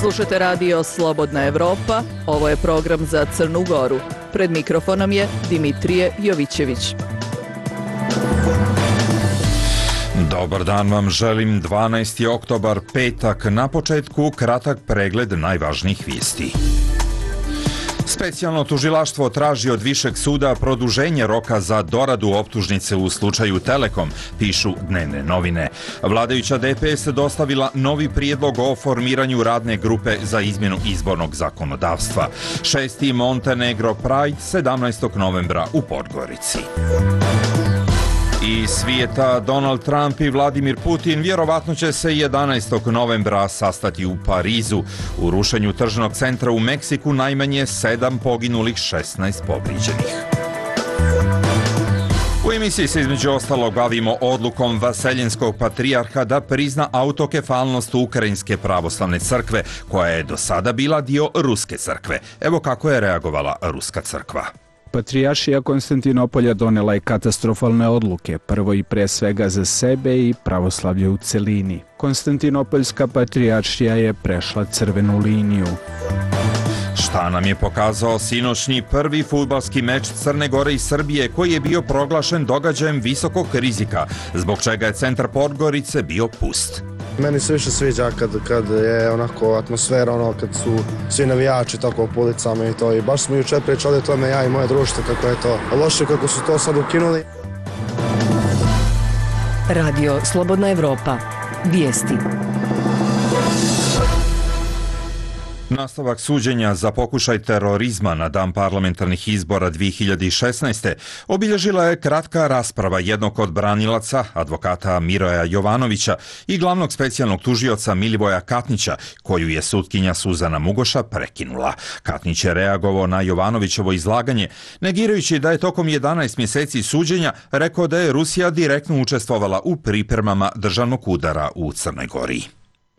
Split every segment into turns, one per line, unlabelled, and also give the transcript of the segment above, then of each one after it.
Slušate radio Slobodna Evropa, ovo je program za Crnu Goru. Pred mikrofonom je Dimitrije Jovićević.
Dobar dan vam želim, 12. oktobar, petak, na početku kratak pregled najvažnijih vijesti. Specijalno tužilaštvo traži od Višeg suda produženje roka za doradu optužnice u slučaju Telekom, pišu dnevne novine. Vladajuća DPS dostavila novi prijedlog o formiranju radne grupe za izmjenu izbornog zakonodavstva. 6. Montenegro Pride 17. novembra u Podgorici. Iz svijeta, Donald Trump i Vladimir Putin vjerovatno će se 11. novembra sastati u Parizu. U rušenju tržnog centra u Meksiku najmanje 7 poginulih, 16 povrijeđenih. U emisiji se između ostalog bavimo odlukom Vaseljenskog patrijarha da prizna autokefalnost Ukrajinske pravoslavne crkve, koja je do sada bila dio Ruske crkve. Evo kako je reagovala Ruska crkva.
Patrijaršija Konstantinopolja donela je katastrofalne odluke, prvo i pre svega za sebe i pravoslavlje u celini. Konstantinopoljska patrijaršija je prešla crvenu liniju.
Šta nam je pokazao sinoćni prvi fudbalski meč Crne Gore i Srbije, koji je bio proglašen događajem visokog rizika, zbog čega je centar Podgorice bio pust?
Meni se više sviđa kad je onako atmosfera, kad su svi navijači tako po ulicama i to. I baš smo jučer pričali o tome, ja i moje društvo, kako je to loše, kako su to sad ukinuli.
Radio Slobodna Evropa. Vijesti.
Nastavak suđenja za pokušaj terorizma na dan parlamentarnih izbora 2016. obilježila je kratka rasprava jednog od branilaca, advokata Miroja Jovanovića, i glavnog specijalnog tužioca Milivoja Katnića, koju je sutkinja Suzana Mugoša prekinula. Katnić je reagovao na Jovanovićevo izlaganje, negirajući da je tokom 11 mjeseci suđenja rekao da je Rusija direktno učestvovala u pripremama državnog udara u Crnoj Gori.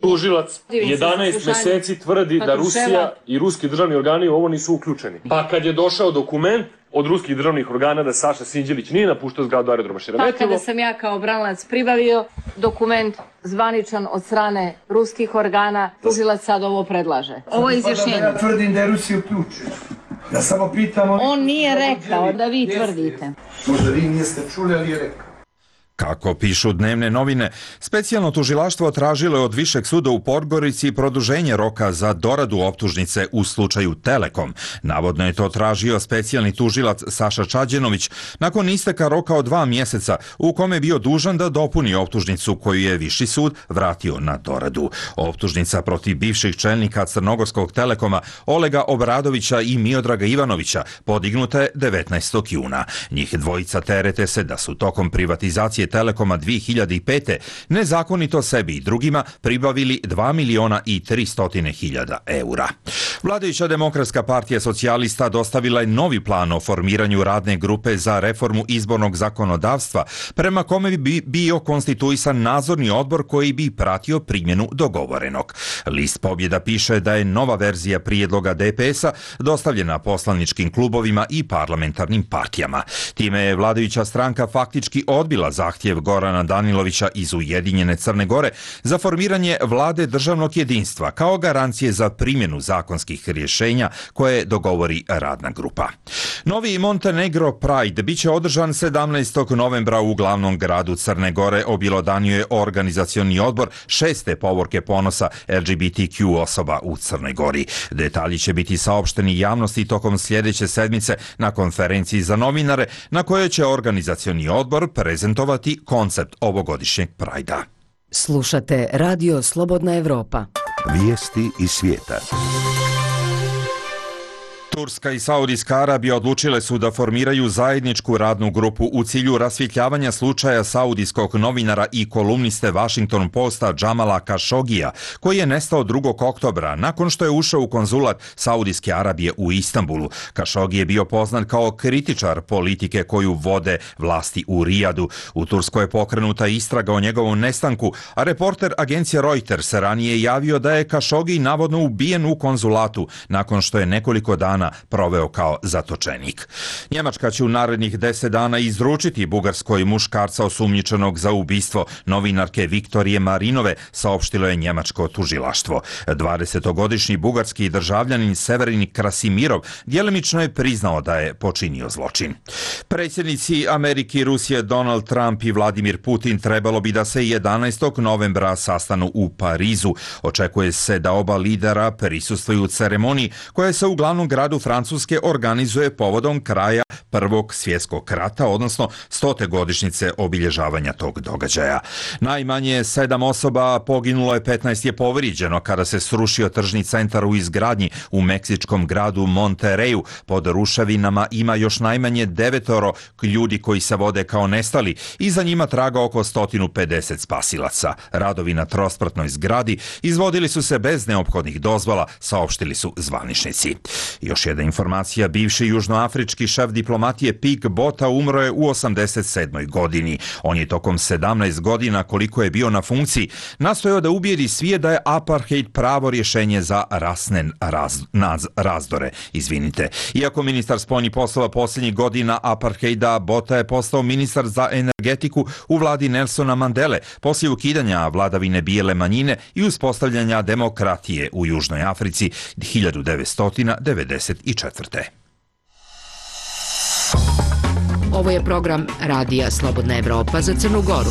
Tužilac 11 mjeseci tvrdi da Rusija i ruski državni organi u ovo nisu uključeni. Pa kad je došao dokument od ruskih državnih organa da Saša Sinđelić nije napuštao zgradu aerodroma Šeremetjevo.
Pa kada sam ja kao branilac pribavio dokument zvaničan od strane ruskih organa, tužilac sad ovo predlaže. Ovo je izjašnjenje.
Ja tvrdim da je Rusija uključena. Ja samo pitam...
On nije rekao da vi tvrdite.
Možda vi niste čuli, ali je rekao.
Kako pišu dnevne novine, specijalno tužilaštvo tražilo je od Višeg suda u Podgorici produženje roka za doradu optužnice u slučaju Telekom. Navodno je to tražio specijalni tužilac Saša Čađenović nakon isteka roka od 2 mjeseca u kome je bio dužan da dopuni optužnicu koju je Viši sud vratio na doradu. Optužnica protiv bivših čelnika Crnogorskog Telekoma Olega Obradovića i Miodraga Ivanovića podignuta je 19. juna. Njih dvojica terete se da su tokom privatizacije Telekoma 2005. nezakonito sebi i drugima pribavili 2.300.000 eura. Vladajuća Demokratska partija socijalista dostavila je novi plan o formiranju radne grupe za reformu izbornog zakonodavstva, prema kome bi bio konstituisan nadzorni odbor koji bi pratio primjenu dogovorenog. List Pobjeda piše da je nova verzija prijedloga DPS-a dostavljena poslaničkim klubovima i parlamentarnim partijama. Time je vladajuća stranka faktički odbila zahtjev Gorana Danilovića iz Ujedinjene Crne Gore za formiranje vlade državnog jedinstva kao garancije za primjenu zakonskih rješenja koje dogovori radna grupa. Novi Montenegro Pride biće održan 17. novembra u glavnom gradu Crne Gore, objelodanio je organizacioni odbor 6. povorke ponosa LGBTQ osoba u Crnoj Gori. Detalji će biti saopšteni javnosti tokom sljedeće sedmice na konferenciji za novinare, na kojoj će organizacioni odbor prezentovati koncept ovogodišnjeg Prajda.
Slušate Radio Slobodna Evropa.
Vijesti iz svijeta.
Turska i Saudijska Arabija odlučile su da formiraju zajedničku radnu grupu u cilju rasvjetljavanja slučaja saudijskog novinara i kolumniste Washington Posta Džamala Kašogija, koji je nestao 2. oktobra nakon što je ušao u konzulat Saudijske Arabije u Istanbulu. Kašogi je bio poznat kao kritičar politike koju vode vlasti u Rijadu. U Turskoj je pokrenuta istraga o njegovom nestanku, a reporter agencije Reuters ranije javio da je Kašogi navodno ubijen u konzulatu nakon što je nekoliko dana dana proveo kao zatočenik. Njemačka će u narednih 10 dana izručiti Bugarskoj muškarca osumnjičenog za ubistvo novinarke Viktorije Marinove, saopštilo je njemačko tužilaštvo. 20-godišnji bugarski državljanin Severin Krasimirov djelimično je priznao da je počinio zločin. Predsjednici Amerike i Rusije Donald Trump i Vladimir Putin trebalo bi da se 11. novembra sastanu u Parizu. Očekuje se da oba lidera prisustvuju ceremoniji koja se u glavnom gradu Francuske organizuje povodom kraja Prvog svjetskog rata, odnosno 100. godišnjice obilježavanja tog događaja. Najmanje 7 osoba poginulo je, 15 je povrijeđeno kada se srušio tržni centar u izgradnji u meksičkom gradu Monterreyu. Pod ruševinama ima još najmanje 9 ljudi koji se vode kao nestali i za njima traga oko 150 spasilaca. Radovi na trospratnoj zgradi izvodili su se bez neophodnih dozvola, saopštili su zvaničnici. Još jedna informacija, bivši južnoafrički šef diplomatije Pik Bota umro je u 87. godini. On je tokom 17 godina koliko je bio na funkciji nastojao da ubijedi svijet da je apartheid pravo rješenje za rasne razdore. Iako ministar spoljnih poslova posljednjih godina apartheida, Bota je postao ministar za energetiku u vladi Nelsona Mandele poslije ukidanja vladavine bijele manjine i uspostavljanja demokratije u Južnoj Africi 1994.
Ovo je program Radija Slobodna Evropa za Crnu Goru.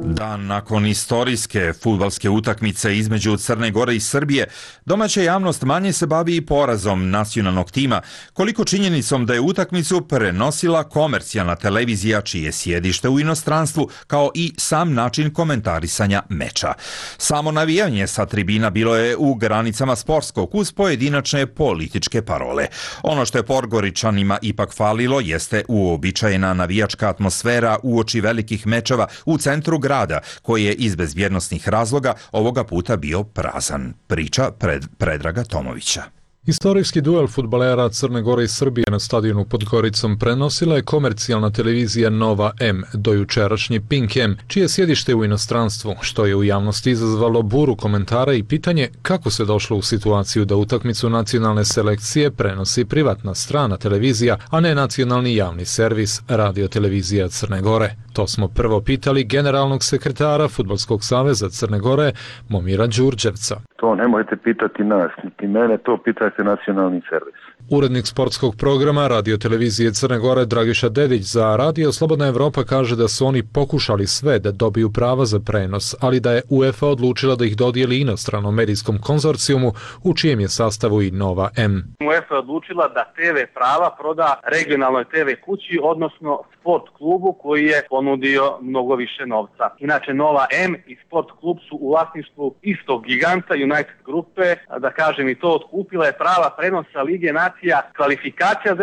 Dan nakon istorijske fudbalske utakmice između Crne Gore i Srbije, domaća javnost manje se bavi i porazom nacionalnog tima, koliko činjenicom da je utakmicu prenosila komercijalna televizija čije je sjedište u inostranstvu, kao i sam način komentarisanja meča. Samo navijanje sa tribina bilo je u granicama sportskog uz pojedinačne političke parole. Ono što je Podgoričanima ipak falilo jeste uobičajena navijačka atmosfera uoči velikih mečeva u centru grada, koji je iz bezbjednosnih razloga ovoga puta bio prazan. Priča Predraga Tomovića.
Istorijski duel fudbalera Crne Gore i Srbije na stadionu pod Goricom prenosila je komercijalna televizija Nova M, dojučerašnji Pink M, čije sjedište u inostranstvu, što je u javnosti izazvalo buru komentara i pitanje kako se došlo u situaciju da utakmicu nacionalne selekcije prenosi privatna strana televizija, a ne nacionalni javni servis radiotelevizija Crne Gore. To smo prvo pitali generalnog sekretara Fudbalskog saveza Crne Gore, Momira Đurđevca.
To nemojte pitati nas, niti mene, to pitajte nacionalni servis.
Urednik sportskog programa radiotelevizije Crne Gore Dragiša Dedić za Radio Slobodna Evropa kaže da su oni pokušali sve da dobiju prava za prenos, ali da je UEFA odlučila da ih dodijeli inostranom medijskom konzorcijumu u čijem je sastavu i Nova M.
UEFA je odlučila da TV prava proda regionalnoj TV kući, odnosno Sport klubu koji je ponudio mnogo više novca. Inače Nova M i Sport klub su u vlasništvu istog giganta United grupe, da kažem i to, otkupila je prava prenosa Lige nacija, kvalifikacija za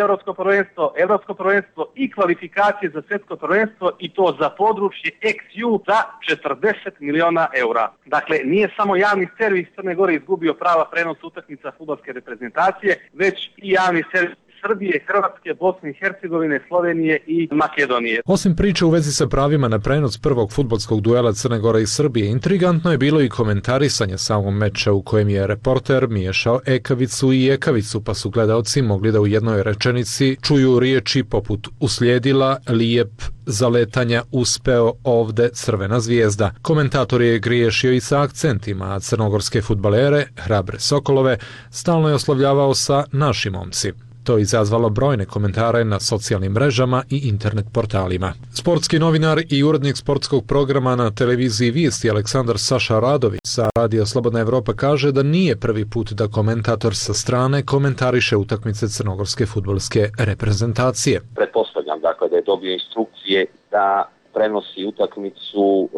Evropsko prvenstvo i kvalifikacije za svjetsko prvenstvo, i to za područje XU za 40 miliona eura. Dakle, nije samo javni servis Crne Gore izgubio prava prenosa utakmica fudbalske reprezentacije, već i javni servis Srbije, Hrvatske, Bosne i Hercegovine, Slovenije i Makedonije.
Osim priče u vezi sa pravima na prenos prvog fudbalskog duela Crne Gore i Srbije, intrigantno je bilo i komentarisanje samog meča u kojem je reporter miješao ekavicu i ekavicu, pa su gledaoci mogli da u jednoj rečenici čuju riječi poput uslijedila, lijep, zaletanja, uspeo, ovde, crvena zvijezda. Komentator je griješio i sa akcentima, a crnogorske fudbalere, hrabre Sokolove, stalno je oslovljavao sa naši momci. To je izazvalo brojne komentare na socijalnim mrežama i internet portalima. Sportski novinar i urednik sportskog programa na televiziji Vijesti Aleksandar Saša Radović sa Radio Slobodna Evropa kaže da nije prvi put da komentator sa strane komentariše utakmice crnogorske fudbalske reprezentacije.
Pretpostavljam dakle da je dobio instrukcije da prenosi utakmicu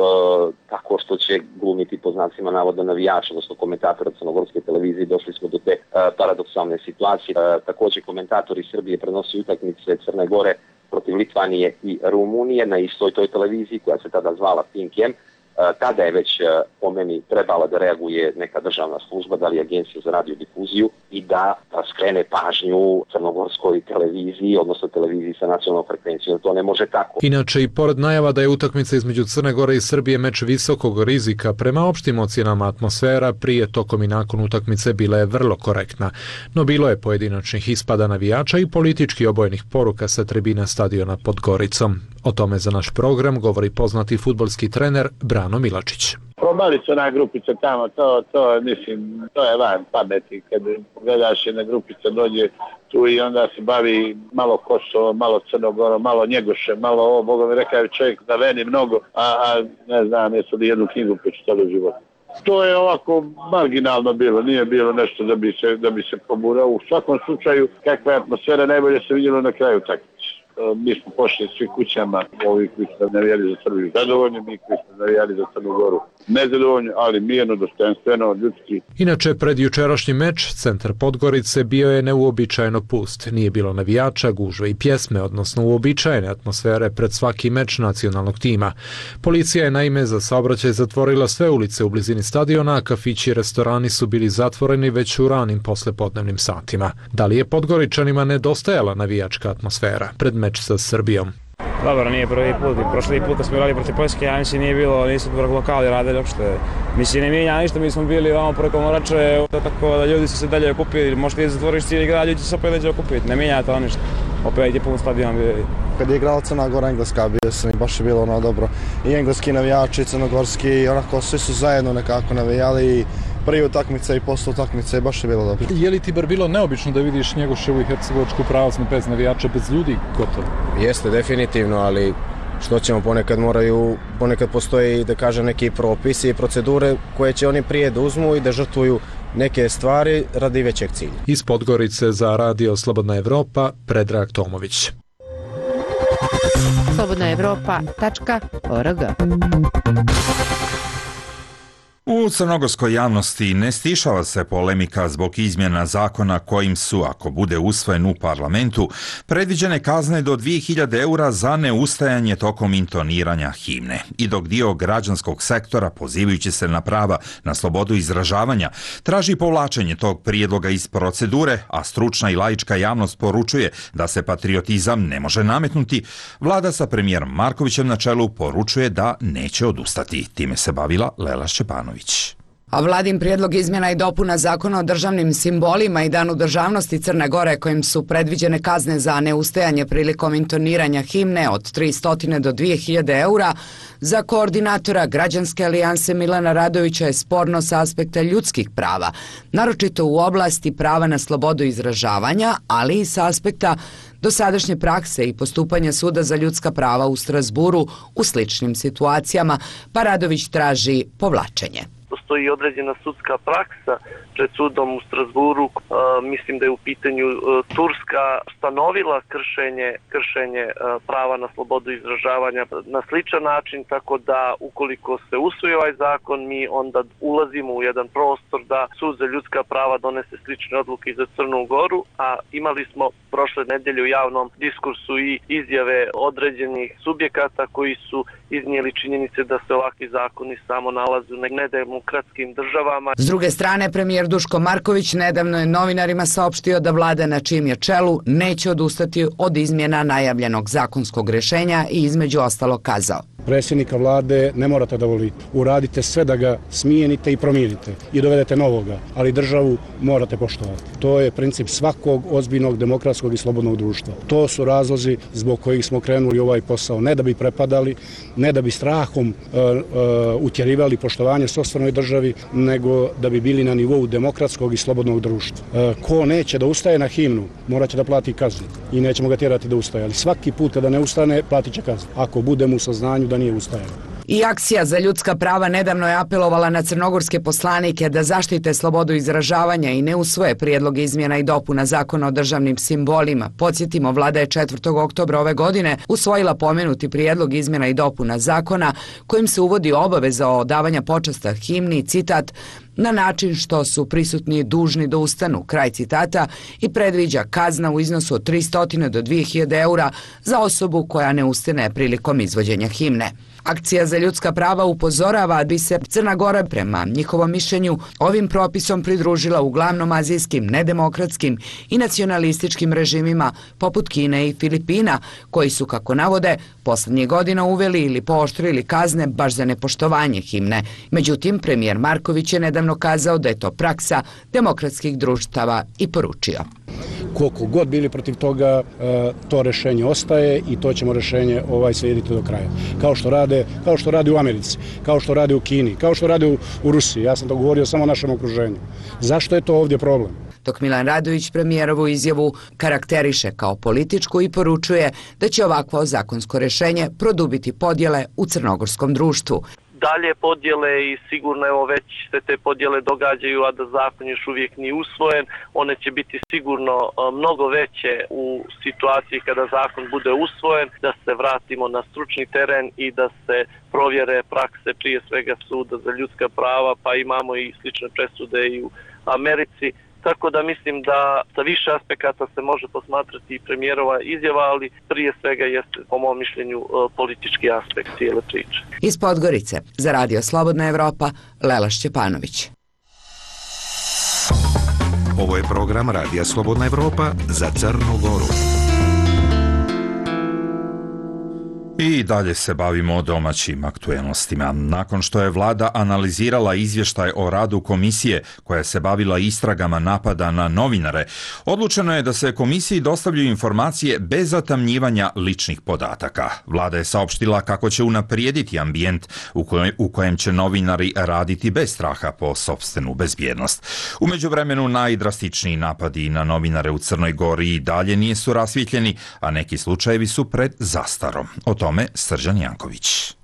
tako što će glumiti po znacima navoda navijača, odnosno komentatora crnogorske televizije. Došli smo do te paradoksalne situacije. Također komentatori Srbije prenosi utakmice Crne Gore protiv Litvanije i Rumunije na istoj toj televiziji koja se tada zvala Pink M. tada je već po meni trebala da reaguje neka državna služba, da li Agencija za radiodifuziju, i da skrene pažnju crnogorskoj televiziji, odnosno televiziji sa nacionalnom frekvencijom. To ne može tako.
Inače, i pored najava da je utakmica između Crne Gore i Srbije meč visokog rizika, prema opštim ocjenama atmosfera prije, tokom i nakon utakmice bila je vrlo korektna. No bilo je pojedinačnih ispada navijača i politički obojenih poruka sa tribina stadiona pod Goricom. O tome za naš program govori poznati fudbalski trener Brano Milačić.
Probali su ona grupica tamo, mislim, to je van pameti. Kad gledaš jedna grupica dođe tu i onda se bavi malo Kosovo, malo Crnogorom, malo Njegošem, malo ovo, Boga mi rekao čovjek da veni mnogo, a ne znam, jesu li jednu knjigu pročitali u životu. To je ovako marginalno bilo, nije bilo nešto da bi se poburao. U svakom slučaju, kakva je atmosfera, najbolje se vidjelo na kraju takmice. Mi smo pošli svi kućama, ovi koji su navijali za Srbiju zadovoljni, mi koji smo navijali za Crnu Goru nezadovoljni, ali mirno, dostojanstveno, ljudski.
Inače, pred jučerašnji meč, centar Podgorice bio je neuobičajeno pust. Nije bilo navijača, gužve i pjesme, odnosno uobičajene atmosfere pred svaki meč nacionalnog tima. Policija je naime za saobraćaj zatvorila sve ulice u blizini stadiona, a kafići i restorani su bili zatvoreni već u ranim poslepodnevnim satima. Da li je Podgoričanima nedostajala navijačka atmosfera pred meč sa Srbijom?
Dobro, nije prvi put. Prošli put kad smo igrali protiv Poljske, ja mislim nije bilo, nisu lokali radili uopšte. Mislim, ne mijenja ništa, mi smo bili vamo preko Morače, tako da ljudi su se dalje okupili. Možda i zatvoriš cijeli grad, ljudi se opet dalje okupiti. Ne mijenja to ništa. Opet je pun stadion bio.
Kad je igrala Crna Gora, Engleska, bio sam i baš je bilo dobro. I engleski navijači, crnogorski, onako svi su zajedno nekako navijali i prije utakmice i posle utakmice baš je bilo dobro.
Je li ti bar bilo neobično da vidiš Njegoševu i Hercegovačku pravoslavnu bez navijača, bez ljudi gotovo?
Jeste, definitivno, ali što ćemo, ponekad postoji, da kažem, neki propisi i procedure koje će oni prije da uzmu i da žrtvuju neke stvari radi većeg cilja.
Iz Podgorice za Radio Slobodna Evropa, Predrag Tomović.
slobodnaevropa.org.
U crnogorskoj javnosti ne stišava se polemika zbog izmjena zakona kojim su, ako bude usvojen u parlamentu, predviđene kazne do 2000 eura za neustajanje tokom intoniranja himne. I dok dio građanskog sektora, pozivajući se na prava na slobodu izražavanja, traži povlačenje tog prijedloga iz procedure, a stručna i laička javnost poručuje da se patriotizam ne može nametnuti, vlada sa premijerom Markovićem na čelu poručuje da neće odustati. Time se bavila Lela Šćepanović.
A vladin prijedlog izmjena i dopuna zakona o državnim simbolima i danu državnosti Crne Gore kojim su predviđene kazne za neustajanje prilikom intoniranja himne od 300 do 2000 eura za koordinatora Građanske alijanse Milana Radovića je sporno sa aspekta ljudskih prava, naročito u oblasti prava na slobodu izražavanja, ali i sa aspekta dosadašnje prakse i postupanja Suda za ljudska prava u Strazburu u sličnim situacijama, pa Radović traži povlačenje.
Postoji određena sudska praksa pred sudom u Strazburu, mislim da je u pitanju Turska stanovila kršenje prava na slobodu izražavanja na sličan način, tako da ukoliko se usvoji ovaj zakon, mi onda ulazimo u jedan prostor da Sud za ljudska prava donese slične odluke i za Crnu Goru, a imali smo prošle nedelje u javnom diskursu i izjave određenih subjekata koji su iznijeli činjenice da se ovakvi zakoni samo nalaze u nedemokratskim državama.
S druge strane, premijer Duško Marković nedavno je novinarima saopštio da vlada na čijem je čelu neće odustati od izmjena najavljenog zakonskog rješenja i između ostalog kazao:
predsjednika vlade ne morate da volite. Uradite sve da ga smijenite i promijenite i dovedete novoga, ali državu morate poštovati. To je princip svakog ozbiljnog demokratskog i slobodnog društva. To su razlozi zbog kojih smo krenuli ovaj posao. Ne da bi prepadali, ne da bi strahom utjerivali poštovanje sopstvenoj državi, nego da bi bili na nivou demokratskog i slobodnog društva. Ko neće da ustaje na himnu, morat će da plati kaznu i nećemo ga tjerati da ustaje. Ali svaki put kada ne ustane, platit će kaznu. Ako budemo u saznanju da nije ustajalo.
I Akcija za ljudska prava nedavno je apelovala na crnogorske poslanike da zaštite slobodu izražavanja i ne usvoje prijedlog izmjena i dopuna zakona o državnim simbolima. Podsjetimo, vlada je 4. oktobra ove godine usvojila pomenuti prijedlog izmjena i dopuna zakona kojim se uvodi obaveza odavanja počasta himni, citat, na način što su prisutni dužni da ustanu, kraj citata, i predviđa kazna u iznosu od 300 do 2000 eura za osobu koja ne ustane prilikom izvođenja himne. Akcija za ljudska prava upozorava da bi se Crna Gora prema njihovom mišljenju ovim propisom pridružila uglavnom azijskim, nedemokratskim i nacionalističkim režimima poput Kine i Filipina, koji su, kako navode, poslednjih godina uveli ili pooštrili kazne baš za nepoštovanje himne. Međutim, premijer Marković je nedavno kazao da je to praksa demokratskih društava i poručio.
Koliko god bili protiv toga, to rešenje ostaje i to ćemo rešenje slijediti do kraja. Kao što rade u Americi, kao što rade u Kini, kao što rade u Rusiji. Ja sam to govorio samo o našem okruženju. Zašto je to ovdje problem?
Dok Milan Radović premijerovu izjavu karakteriše kao političku i poručuje da će ovakvo zakonsko rešenje produbiti podjele u crnogorskom društvu.
Dalje podjele i sigurno već se te podjele događaju, a da zakon još uvijek nije usvojen. One će biti sigurno mnogo veće u situaciji kada zakon bude usvojen, da se vratimo na stručni teren i da se provjere prakse prije svega suda za ljudska prava, pa imamo i slične presude i u Americi. Tako da mislim da sa više aspekata se može posmatrati i premijerova izjava, ali prije svega jeste, po mom mišljenju, politički aspekt cijele priče.
Iz Podgorice, za Radio Slobodna Evropa, Lela Šćepanović.
Ovo je program Radija Slobodna Evropa za Crnu Goru.
I dalje se bavimo domaćim aktuelnostima. Nakon što je vlada analizirala izvještaj o radu komisije koja se bavila istragama napada na novinare, odlučeno je da se komisiji dostavljaju informacije bez zatamnjivanja ličnih podataka. Vlada je saopštila kako će unaprijediti ambijent u kojem će novinari raditi bez straha po sopstvenu bezbjednost. U međuvremenu najdrastičniji napadi na novinare u Crnoj Gori i dalje nisu rasvjetljeni, a neki slučajevi su pred zastarom. O tome Srđan Janković.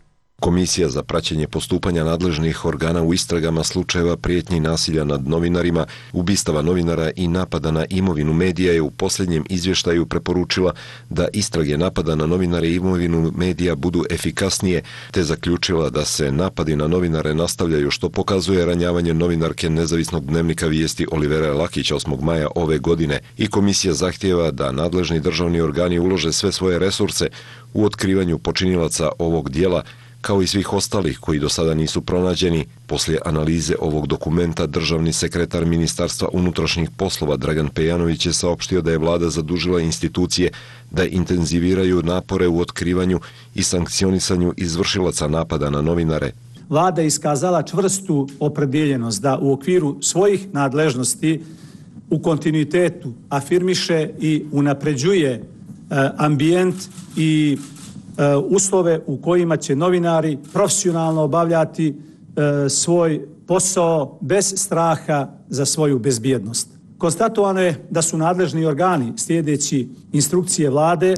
Komisija za praćenje postupanja nadležnih organa u istragama slučajeva prijetnji nasilja nad novinarima, ubistava novinara i napada na imovinu medija je u posljednjem izvještaju preporučila da istrage napada na novinare i imovinu medija budu efikasnije, te zaključila da se napadi na novinare nastavljaju, što pokazuje ranjavanje novinarke nezavisnog dnevnika Vijesti Olivere Lakića 8. maja ove godine, i komisija zahtijeva da nadležni državni organi ulože sve svoje resurse u otkrivanju počinilaca ovog dijela, kao i svih ostalih koji do sada nisu pronađeni. Poslije analize ovog dokumenta, državni sekretar Ministarstva unutrašnjih poslova Dragan Pejanović je saopštio da je vlada zadužila institucije da intenziviraju napore u otkrivanju i sankcionisanju izvršilaca napada na novinare.
Vlada je iskazala čvrstu opredjeljenost da u okviru svojih nadležnosti u kontinuitetu afirmiše i unapređuje ambijent i uslove u kojima će novinari profesionalno obavljati svoj posao bez straha za svoju bezbjednost. Konstatovano je da su nadležni organi, slijedeći instrukcije vlade,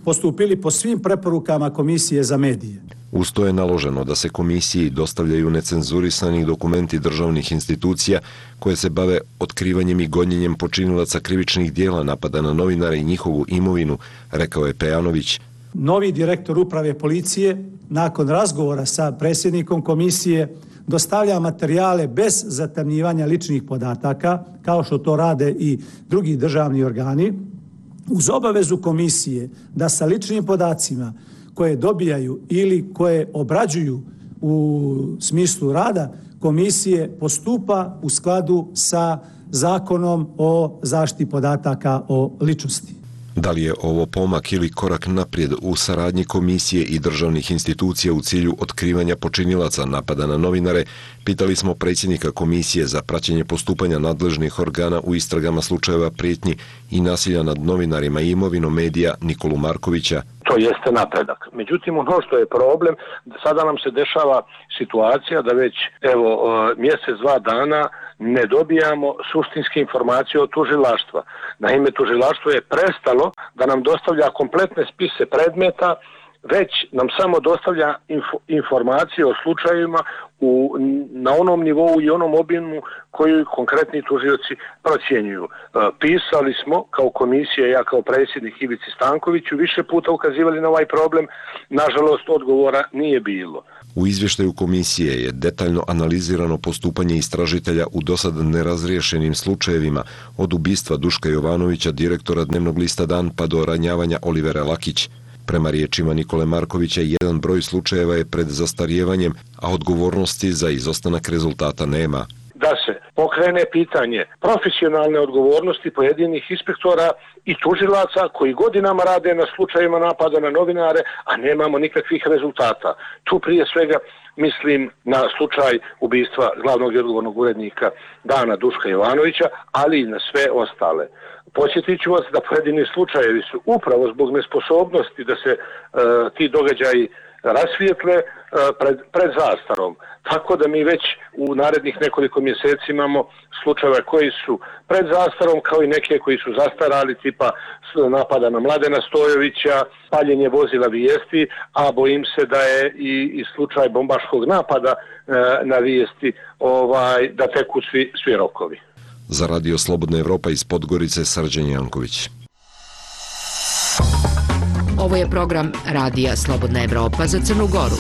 postupili po svim preporukama Komisije za medije.
Uz to je naloženo da se komisiji dostavljaju necenzurisani dokumenti državnih institucija koje se bave otkrivanjem i gonjenjem počinilaca krivičnih dijela napada na novinare i njihovu imovinu, rekao je Pejanović.
Novi direktor uprave policije, nakon razgovora sa predsjednikom komisije, dostavlja materijale bez zatamnjivanja ličnih podataka, kao što to rade i drugi državni organi, uz obavezu komisije da sa ličnim podacima koje dobijaju ili koje obrađuju u smislu rada komisije postupa u skladu sa Zakonom o zaštiti podataka o ličnosti.
Da li je ovo pomak ili korak naprijed u saradnji komisije i državnih institucija u cilju otkrivanja počinilaca napada na novinare, pitali smo predsjednika Komisije za praćenje postupanja nadležnih organa u istragama slučajeva prijetnji i nasilja nad novinarima i imovinom medija Nikolu Markovića.
To jeste napredak. Međutim, ono što je problem, sada nam se dešava situacija da već mjesec, 2 dana ne dobijamo suštinske informacije od tužilaštva. Naime, tužilaštvo je prestalo da nam dostavlja kompletne spise predmeta, već nam samo dostavlja informacije o slučajevima na onom nivou i onom obimu koju konkretni tužioci procjenjuju. Pisali smo kao komisija, ja kao predsjednik Ivici Stankoviću, više puta ukazivali na ovaj problem, nažalost odgovora nije bilo.
U izvještaju komisije je detaljno analizirano postupanje istražitelja u dosad nerazriješenim slučajevima, od ubistva Duška Jovanovića, direktora dnevnog lista Dan, pa do ranjavanja Olivere Lakić. Prema riječima Nikole Markovića, jedan broj slučajeva je pred zastarijevanjem, a odgovornosti za izostanak rezultata nema.
Da se pokrene pitanje profesionalne odgovornosti pojedinih inspektora i tužilaca koji godinama rade na slučajevima napada na novinare, a nemamo nikakvih rezultata. Tu prije svega mislim na slučaj ubistva glavnog i odgovornog urednika Dana Duška Jovanovića, ali i na sve ostale. Podsjetit ću vas da pojedini slučajevi su upravo zbog nesposobnosti da se ti događaji rasvijetle pred zastarom. Tako da mi već u narednih nekoliko mjeseci imamo slučajeve koji su pred zastarom, kao i neke koji su zastarali, tipa napada na Mladena Stojovića, paljenje vozila Vijesti, a bojim se da je i slučaj bombaškog napada na Vijesti da teku svi rokovi.
Za Radio Slobodna Evropa iz Podgorice, Srđan Janković.
Ovo je program Radija Slobodna Evropa za Crnu Goru.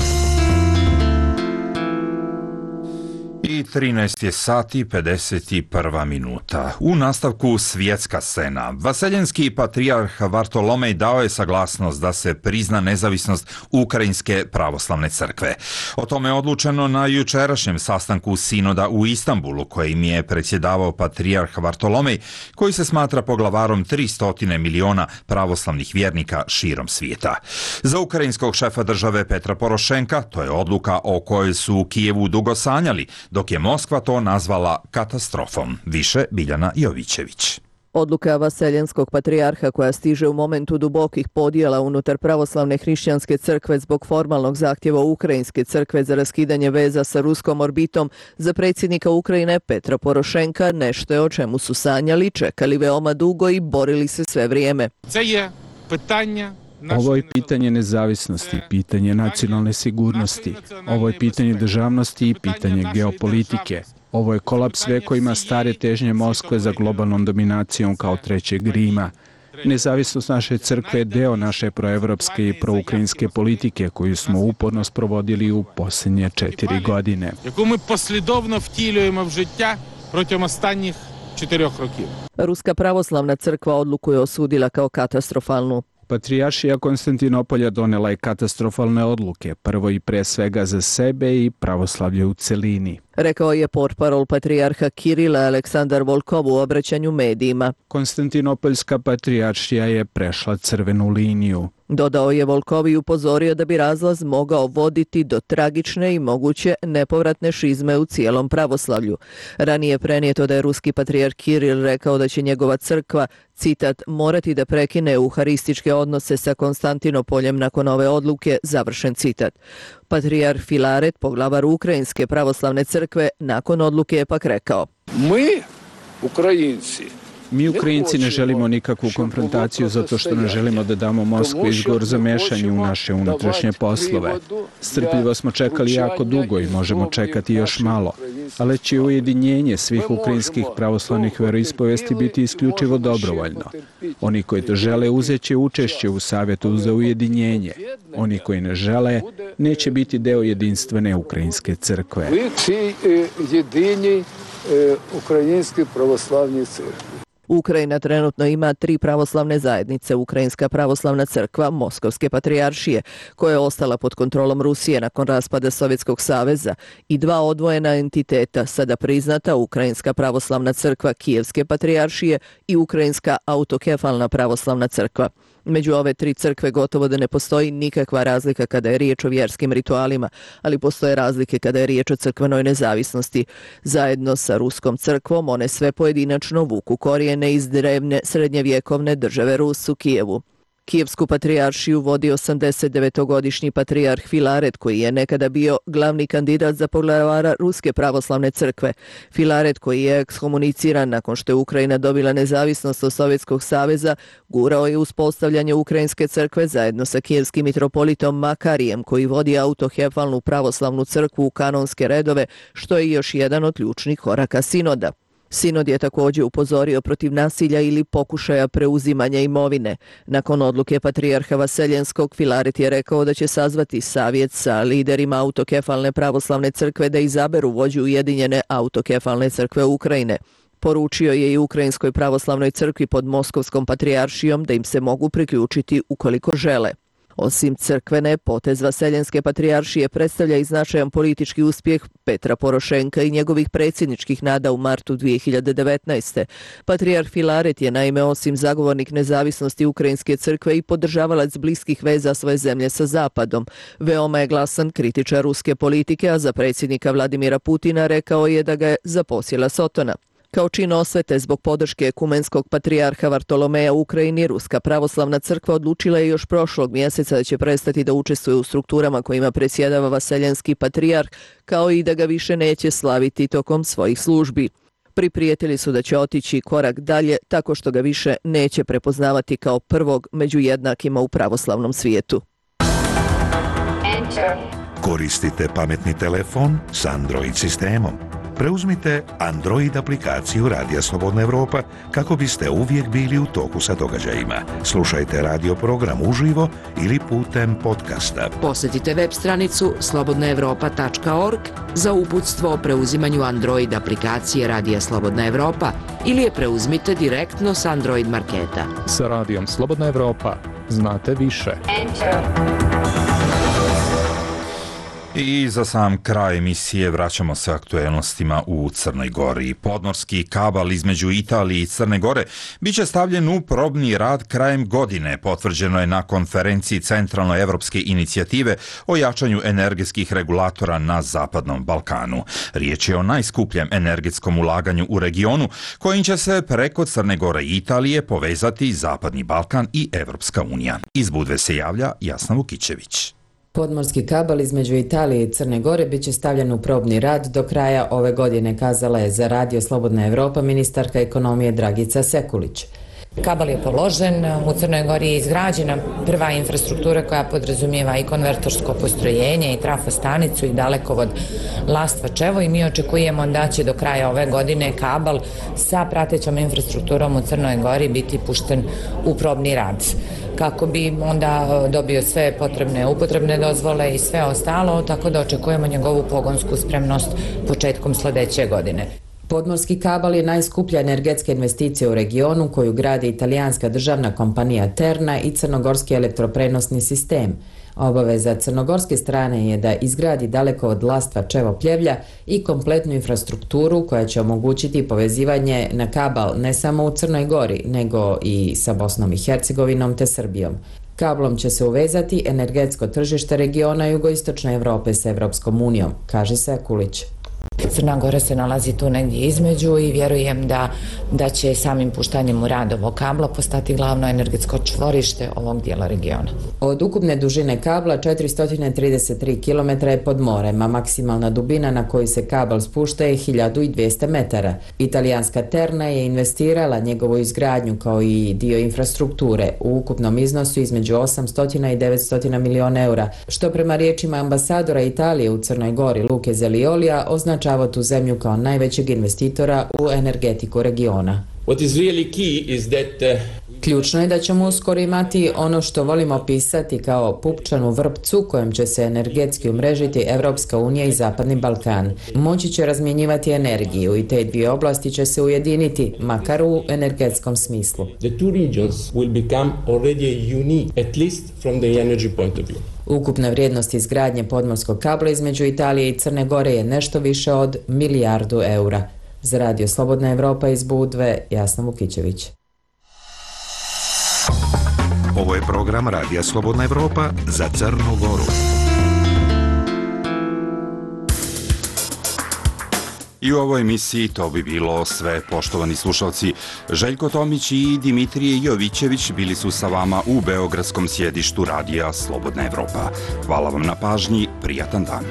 I 13 je sati 51 minuta. U nastavku svjetska scena. Vaseljenski patrijarh Vartolomej dao je saglasnost da se prizna nezavisnost Ukrajinske pravoslavne crkve. O tome je odlučeno na jučerašnjem sastanku sinoda u Istanbulu, kojim je predsjedavao patrijarh Vartolomej, koji se smatra poglavarom 300 miliona pravoslavnih vjernika širom svijeta. Za ukrajinskog šefa države Petra Porošenka to je odluka o kojoj su u Kijevu dugo sanjali, dok je Moskva to nazvala katastrofom. Više Biljana Jovićević.
Odluka vaseljenskog patrijarha koja stiže u momentu dubokih podjela unutar pravoslavne hrišćanske crkve zbog formalnog zahtjeva Ukrajinske crkve za raskidanje veza sa ruskom orbitom za predsjednika Ukrajine Petra Porošenka nešto je o čemu su sanjali, čekali veoma dugo i borili se sve vrijeme.
Ovo je pitanje nezavisnosti, pitanje nacionalne sigurnosti. Ovo je pitanje državnosti i pitanje geopolitike. Ovo je kolaps vekovima stare težnje Moskve za globalnom dominacijom kao trećeg Rima. Nezavisnost naše crkve je deo naše proevropske i proukrajinske politike koju smo uporno sprovodili u posljednje 4 godine.
Яку ми послідовно втілюємо в життя протягом останніх 4 років.
Ruska pravoslavna crkva odluku je osudila kao katastrofalnu.
Patrijaršija Konstantinopolja donela je katastrofalne odluke, prvo i pre svega za sebe i pravoslavlje u celini.
Rekao je portparol patrijarha Kirila Aleksandar Volkov u obraćanju medijima.
Konstantinopoljska patrijaršija je prešla crvenu liniju.
Dodao je Volkov i upozorio da bi razlaz mogao voditi do tragične i moguće nepovratne šizme u cijelom pravoslavlju. Ranije prenijeto da je ruski patrijarh Kiril rekao da će njegova crkva, citat, morati da prekine euharističke odnose sa Konstantinopoljem nakon ove odluke, završen citat. Patrijarh Filaret, poglavar Ukrajinske pravoslavne crkve, nakon odluke je pak rekao:
Mi Ukrajinci ne želimo nikakvu konfrontaciju zato što ne želimo da damo Moskvi izgovor za mešanje u naše unutrašnje poslove. Strpljivo smo čekali jako dugo i možemo čekati još malo, ali će ujedinjenje svih ukrajinskih pravoslavnih veroispovesti biti isključivo dobrovoljno. Oni koji to žele uzeće učešće u Savjetu za ujedinjenje. Oni koji ne žele neće biti deo jedinstvene Ukrajinske crkve.
Ukrajinske pravoslavne crkve. Ukrajina trenutno ima 3 pravoslavne zajednice, Ukrajinska pravoslavna crkva, Moskovske patrijaršije, koja je ostala pod kontrolom Rusije nakon raspada Sovjetskog saveza, i 2 odvojena entiteta, sada priznata Ukrajinska pravoslavna crkva Kijevske patrijaršije i Ukrajinska autokefalna pravoslavna crkva. Među ove 3 crkve gotovo da ne postoji nikakva razlika kada je riječ o vjerskim ritualima, ali postoje razlike kada je riječ o crkvenoj nezavisnosti. Zajedno sa Ruskom crkvom one sve pojedinačno vuku korijene iz drevne srednjevjekovne države Rus u Kijevu. Kijevsku patrijaršiju vodi 89-godišnji patrijarh Filaret, koji je nekada bio glavni kandidat za poglavara Ruske pravoslavne crkve. Filaret, koji je ekskomuniciran nakon što je Ukrajina dobila nezavisnost od Sovjetskog saveza, gurao je uspostavljanje Ukrajinske crkve zajedno sa kijevskim mitropolitom Makarijem, koji vodi autokefalnu pravoslavnu crkvu u kanonske redove, što je još jedan od ključnih koraka sinoda. Sinod je također upozorio protiv nasilja ili pokušaja preuzimanja imovine. Nakon odluke patrijarha Vaseljenskog, Filaret je rekao da će sazvati savjet sa liderima autokefalne pravoslavne crkve da izaberu vođu Ujedinjene autokefalne crkve Ukrajine. Poručio je i Ukrajinskoj pravoslavnoj crkvi pod Moskovskom patrijaršijom da im se mogu priključiti ukoliko žele. Osim crkvene, potez Vaseljenske patrijaršije predstavlja i značajan politički uspjeh Petra Porošenka i njegovih predsjedničkih nada u martu 2019. Patrijarh Filaret je naime osim zagovornik nezavisnosti Ukrajinske crkve i podržavalac bliskih veza svoje zemlje sa Zapadom. Veoma je glasan kritičar ruske politike, a za predsjednika Vladimira Putina rekao je da ga je zaposjela sotona. Kao čin osvete zbog podrške ekumenskog patrijarha Vartolomeja u Ukrajini, Ruska pravoslavna crkva odlučila je još prošlog mjeseca da će prestati da učestvuje u strukturama kojima predsjedava Vaseljenski patrijarh, kao i da ga više neće slaviti tokom svojih službi. Priprijetili su da će otići korak dalje tako što ga više neće prepoznavati kao prvog među jednakima u pravoslavnom svijetu.
Koristite pametni telefon s Android sistemom. Preuzmite Android aplikaciju Radija Slobodna Evropa kako biste uvijek bili u toku sa događajima. Slušajte radio program uživo ili putem podcasta.
Posjetite web stranicu slobodnaevropa.org za uputstvo o preuzimanju Android aplikacije Radija Slobodna Evropa ili je preuzmite direktno s Android marketa.
Sa Radijom Slobodna Evropa znate više.
I za sam kraj emisije vraćamo se aktuelnostima u Crnoj Gori. Podmorski kabal između Italije i Crne Gore biće stavljen u probni rad krajem godine, potvrđeno je na konferenciji Centralnoevropske inicijative o jačanju energetskih regulatora na Zapadnom Balkanu. Riječ je o najskupljem energetskom ulaganju u regionu, kojim će se preko Crne Gore i Italije povezati Zapadni Balkan i Evropska unija. Iz Budve se javlja Jasna Vukićević.
Podmorski kabel između Italije i Crne Gore biće stavljen u probni rad do kraja ove godine, kazala je za Radio Slobodna Evropa ministarka ekonomije Dragica Sekulić.
Kabel je položen, u Crnoj Gori je izgrađena prva infrastruktura koja podrazumijeva i konvertorsko postrojenje i trafostanicu i dalekovod Lastva-Čevo i mi očekujemo da će do kraja ove godine kabel sa pratećom infrastrukturom u Crnoj Gori biti pušten u probni rad, kako bi onda dobio sve potrebne upotrebne dozvole i sve ostalo, tako da očekujemo njegovu pogonsku spremnost početkom sljedeće godine.
Podmorski kabel je najskuplja energetska investicija u regionu koju gradi italijanska državna kompanija Terna i crnogorski elektroprenosni sistem. Obaveza crnogorske strane je da izgradi dalekovod Lastva-Čevo-Pljevlja i kompletnu infrastrukturu koja će omogućiti povezivanje na kabel ne samo u Crnoj Gori, nego i sa Bosnom i Hercegovinom te Srbijom. Kablom će se uvezati energetsko tržište regiona jugoistočne Evrope s Evropskom unijom, kaže Sekulić.
Crna Gora se nalazi tu negdje između i vjerujem da će samim puštanjem u rad ovog kabla postati glavno energetsko čvorište ovog dijela regiona.
Od ukupne dužine kabla 433 km je pod morem, a maksimalna dubina na koju se kabel spušta je 1200 metara. Italijanska Terna je investirala njegovu izgradnju kao i dio infrastrukture u ukupnom iznosu između 800 i 900 milijuna eura, što prema riječima ambasadora Italije u Crnoj Gori Luke Zeliolija označava tu zemlju kao najvećeg investitora u energetiku regiona. Ključno je da ćemo uskoro imati ono što volimo opisati kao pupčanu vrpcu kojom će se energetski umrežiti Evropska unija i Zapadni Balkan. Moći će razmjenjivati energiju i te dvije oblasti će se ujediniti, makar u energetskom smislu. Ukupna vrijednost izgradnje podmorskog kabla između Italije i Crne Gore je nešto više od 1 milijardu eura. Za Radio Slobodna Evropa iz Budve, Jasna Vukićević.
Ovo je program Radija Slobodna Evropa za Crnu Goru.
I u ovoj emisiji to bi bilo sve, poštovani slušalci. Željko Tomić i Dimitrije Jovićević bili su sa vama u beogradskom sjedištu Radija Slobodna Evropa. Hvala vam na pažnji, prijatan dan.